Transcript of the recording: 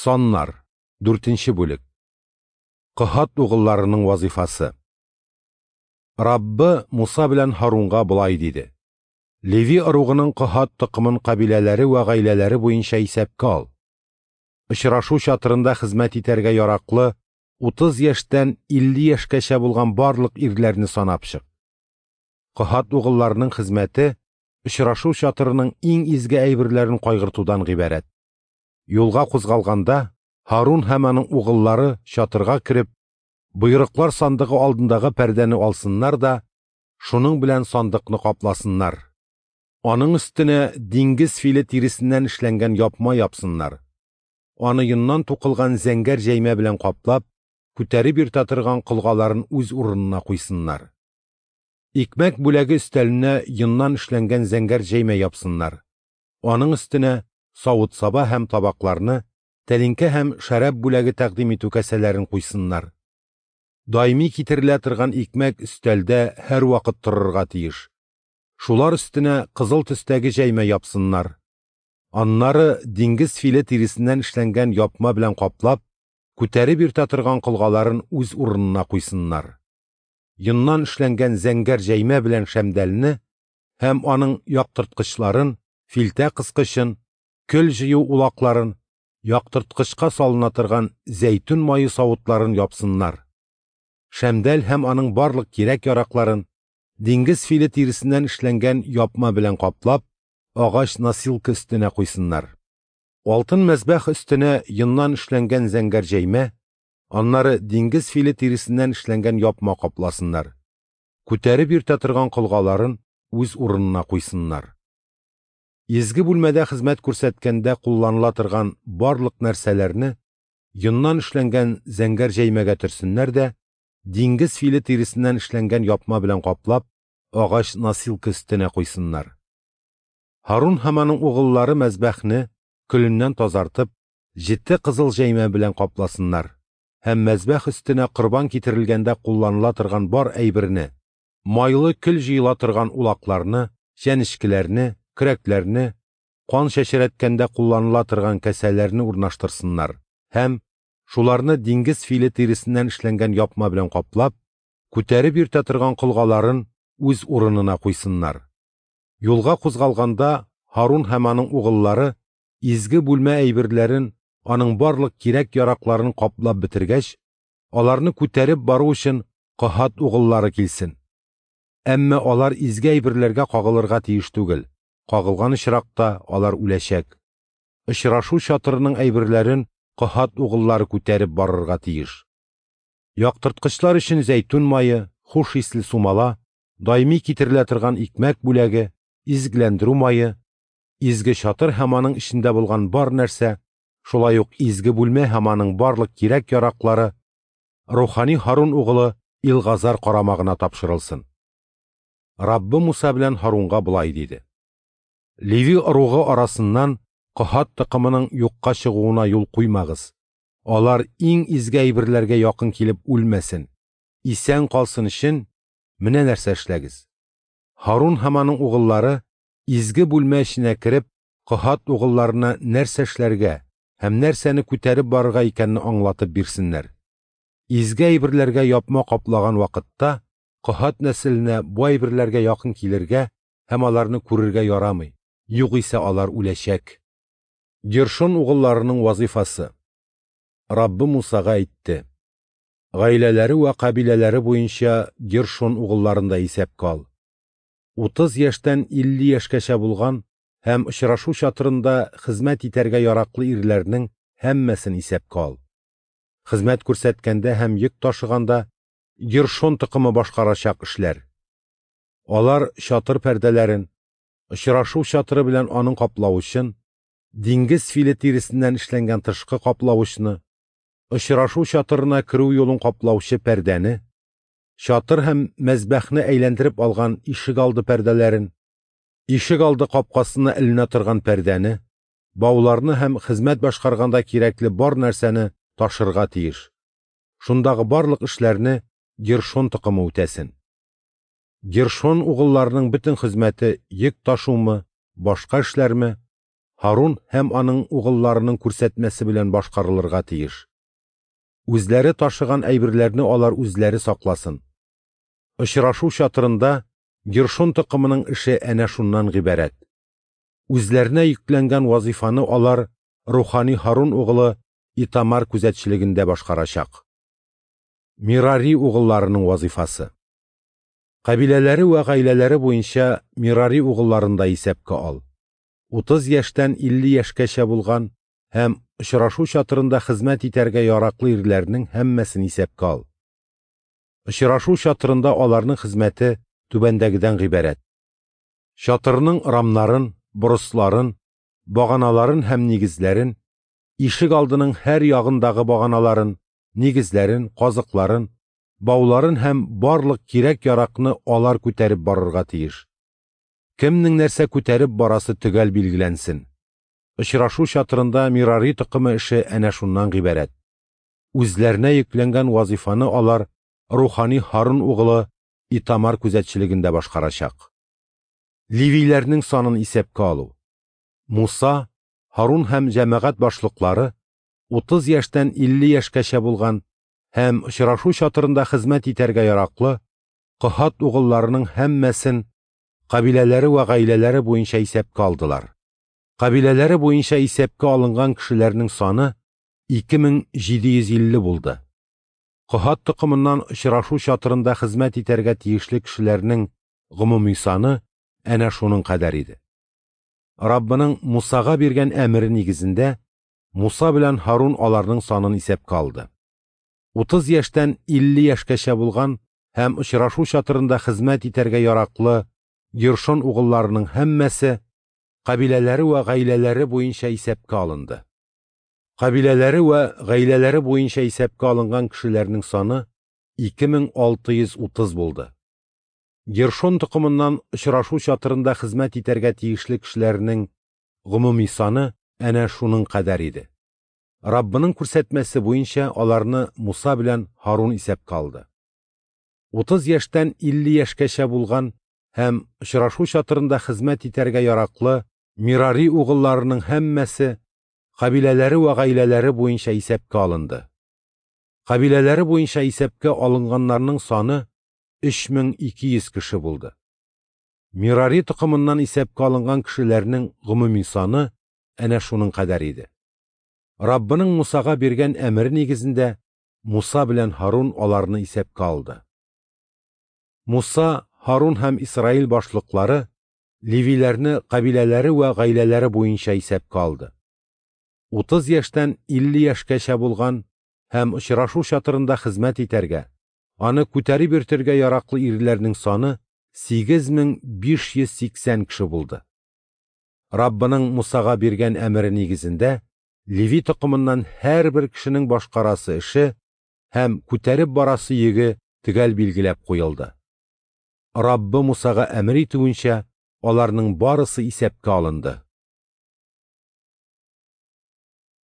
Саннар, 4 бүлек. Каһат угылларының вазифасы. Раббы Муса белән Һарунга болай диде: Леви ыругының Каһат токымын кабиләләре вә гаиләләре буенча исәпкә ал. Очрашу чатырында хезмәт итәргә яраклы 30 яшьтән 50 яшькәчә булган барлык ирләрне санап чык. Каһат угылларының хезмәте очрашу чатырының иң изге әйберләрен кайгыртудан гыйбарәт. Юлга кузгалганда Һарун һәм аның угыллары чатырга кереп, боерыклар сандыгы алдындагы пәрдәне алсыннар да, шуның белән сандыкны капласыннар. Аның өстенә диңгез филе тиресеннән эшләнгән япма япсыннар. Аны йоннан тукылган зәңгәр җәймә белән каплап, күтәреп йөртә торган колгаларын үз урынына куйсыннар. Икмәк бүләге өстәленә йоннан эшләнгән зәңгәр җәймә япсыннар. Аның өстенә савыт-саба һәм табакларны, тәлинкә һәм шәраб бүләге тәкъдим итү кәсәләрен куйсыннар. Даими китерелә торган икмәк өстәлдә һәрвакыт торырга тиеш. Шулар өстенә кызыл төстәге җәймә япсыннар. Аннары диңгез филе тиресеннән эшләнгән япма белән каплап, күтәреп йөртә торган колгаларын үз урынына куйсыннар. Йоннан эшләнгән зәңгәр җәймә белән шәмдәлне һәм аның яктырткычларын, филтә кыскычын, көл җыю улакларын, яктырткычка салына торган зәйтүн мае савытларын япсыннар. Шәмдәл һәм аның барлык кирәк-яракларын диңгез филе тиресеннән эшләнгән япма белән каплап, агач носилка өстенә куйсыннар. Алтын мәзбәх өстенә йоннан эшләнгән зәңгәр җәймә, аннары диңгез филе тиресеннән эшләнгән япма капласыннар. Күтәреп йөртә торган колгаларын үз урынына куйсыннар. Изге бүлмәдә хезмәт күрсәткәндә кулланыла торган барлык нәрсәләрне йоннан эшләнгән зәңгәр җәймәгә төрсеннәр дә, диңгез филе тиресеннән эшләнгән япма белән каплап, агач носилка өстенә куйсыннар. Һарун һәм аның угыллары мәзбәхне көленнән тазартып, җете кызыл җәймә белән капласыннар һәм мәзбәх өстенә корбан китерелгәндә кулланыла торган бар әйберне, майлы көл җыела торган улакларны, чәнечкеләрне, көрәкләрне, кан чәчрәткәндә кулланыла торган кәсәләрне урнаштырсыннар һәм шуларны диңгез филе тиресеннән эшләнгән япма белән каплап, күтәреп йөртә торган колгаларын үз урынына куйсыннар. Юлга кузгалганда Һарун һәм аның угыллары изге бүлмә әйберләрен, аның барлык кирәк-яракларын каплап бетергәч, аларны күтәреп бару өчен Каһат угыллары килсен. Әмма алар изге әйберләргә кагылырга тиеш түгел. Кагылган очракта алар үләчәк. Очрашу чатырының әйберләрен Каһат угыллары күтәреп барырга тиеш. Яктырткычлар өчен зәйтүн мае, хуш исле сумала, даими китерелә торган икмәк бүләге, изгеләндерү мае, изге чатыр һәм аның эчендә булган бар нәрсә, шулай ук изге бүлмә һәм аның барлык кирәк-яраклары рухани Һарун угылы Илгазар карамагына тапшырылсын. Раббы Муса белән Һарунга болай диде: Леви ыругы арасыннан Каһат токымының юкка чыгуына юл куймагыз. Алар иң изге әйберләргә якын килеп үлмәсен, исән калсын өчен менә нәрсә эшләгез. Һарун һәм аның угыллары изге бүлмә эченә кереп, Каһат угылларына нәрсә эшләргә һәм нәрсәне күтәреп барырга икәнне аңлатып бирсеннәр. Изге әйберләргә япма каплаган вакытта Каһат нәселенә бу әйберләргә якын килергә һәм аларны күрергә ярамый, югыйсә алар үләчәк. Гершон угылларының вазифасы. Раббы Мусага әйтте: Гаиләләре вә кабиләләре буенча Гершон угылларын да исәпкә ал. 30 яшьтән 50 яшькәчә булган һәм очрашу чатырында хезмәт итәргә яраклы ирләрнең һәммәсен исәпкә ал. Хезмәт күрсәткәндә һәм йөк ташыганда Гершон токымы башкарачак эшләр. Алар чатыр пәрдәләрен, очрашу чатыры белән аның каплавычын, диңгез филе тиресеннән эшләнгән тышкы каплавычны, очрашу чатырына керү юлын каплаучы пәрдәне, чатыр һәм мәзбәхне әйләндереп алган ишегалды пәрдәләрен, ишегалды капкасына эленә торган пәрдәне, бауларны һәм хезмәт башкарганда кирәкле бар нәрсәне ташырга тиеш. Шундагы барлык эшләрне Гершон токымы үтәсен. Гершон угылларының бөтен хезмәте йөк ташумы, башка эшләрме, Һарун һәм аның угылларының күрсәтмәсе белән башкарылырга тиеш. Үзләре ташыган әйберләрне алар үзләре сакласын. Очрашу чатырында Гершон токымының эше әнә шуннан гыйбарәт. Үзләренә йөкләнгән вазифаны алар рухани Һарун угылы Итамар күзәтчелегендә башкарачак. Мирари угылларының вазифасы. Кабиләләре вә гаиләләре буенча Мирари угылларын да исәпкә ал. 30 яшьтән 50 яшькәчә булган һәм очрашу чатырында хезмәт итәргә яраклы ирләрнең һәммәсен исәпкә ал. Очрашу чатырында аларның хезмәте түбәндәгедән гыйбарәт. Чатырның рамнарын, борысларын, баганаларын һәм нигезләрен, ишек алдының һәр ягындагы баганаларын, нигезләрен, казыкларын, бауларын һәм барлык кирәк-яракны алар күтәреп барырга тиеш. Кемнең нәрсә күтәреп барасы төгәл билгеләнсен. Очрашу чатырында Мирари токымы эше әнә шуннан гыйбарәт. Үзләренә йөкләнгән вазифаны алар рухани Һарун угылы Итамар күзәтчелегендә башкарачак. Левиләрнең санын исәпкә алу. Муса, Һарун һәм җәмәгать башлыклары 30 яшьтән 50 яшькәчә булган һәм очрашу чатырында хезмәт итәргә яраклы Коһат угылларының һәммәсен кабиләләре вә гаиләләре буенча исәпкә алдылар. Кабиләләре буенча исәпкә алынган кешеләрнең саны 2750 булды. Коһат токымыннан очрашу чатырында хезмәт итәргә тиешле кешеләрнең гомуми саны әнә шуның кадәр иде. Раббының Мусага биргән әмере нигезендә Муса белән Һарун аларның санын исәпкә алды. 30 яшьтән 50 яшькәчә булган һәм очрашу чатырында хезмәт итәргә яраклы Гершон угылларының һәммәсе кабиләләре вә гаиләләре буенча исәпкә алынды. Кабиләләре вә гаиләләре буенча исәпкә алынган кешеләрнең саны 2630 булды. Гершон токымыннан очрашу чатырында хезмәт итәргә тиешле кешеләрнең гомуми саны әнә шуның кадәр иде. Раббының күрсәтмәсе буенча аларны Муса белән Һарун исәпкә алды. 30 яшьтән 50 яшькәчә булган һәм очрашу чатырында хезмәт итәргә яраклы Мирари угылларының һәммәсе кабиләләре вә гаиләләре буенча исәпкә алынды. Кабиләләре буенча исәпкә алынганнарның саны 3200 кеше булды. Мирари токымыннан исәпкә алынган кешеләрнең гомуми саны әнә шуның кадәр иде. Раббының Мусага биргән әмере нигезендә Муса белән Һарун аларны исәпкә алды. Муса, Һарун һәм Исраил башлыклары левиләрне кабиләләре вә гаиләләре буенча исәпкә алды. 30 яшьтән 50 яшькәчә булган һәм очрашу чатырында хезмәт итәргә, аны күтәреп йөртергә яраклы ирләрнең саны 8580 кеше булды. Раббының Мусага биргән әмере нигезендә Леви токымыннан һәрбер кешенең башкарасы эше һәм күтәреп барасы йөге төгәл билгеләп куелды. Раббы Мусага әмер итүенчә аларның барысы исәпкә алынды.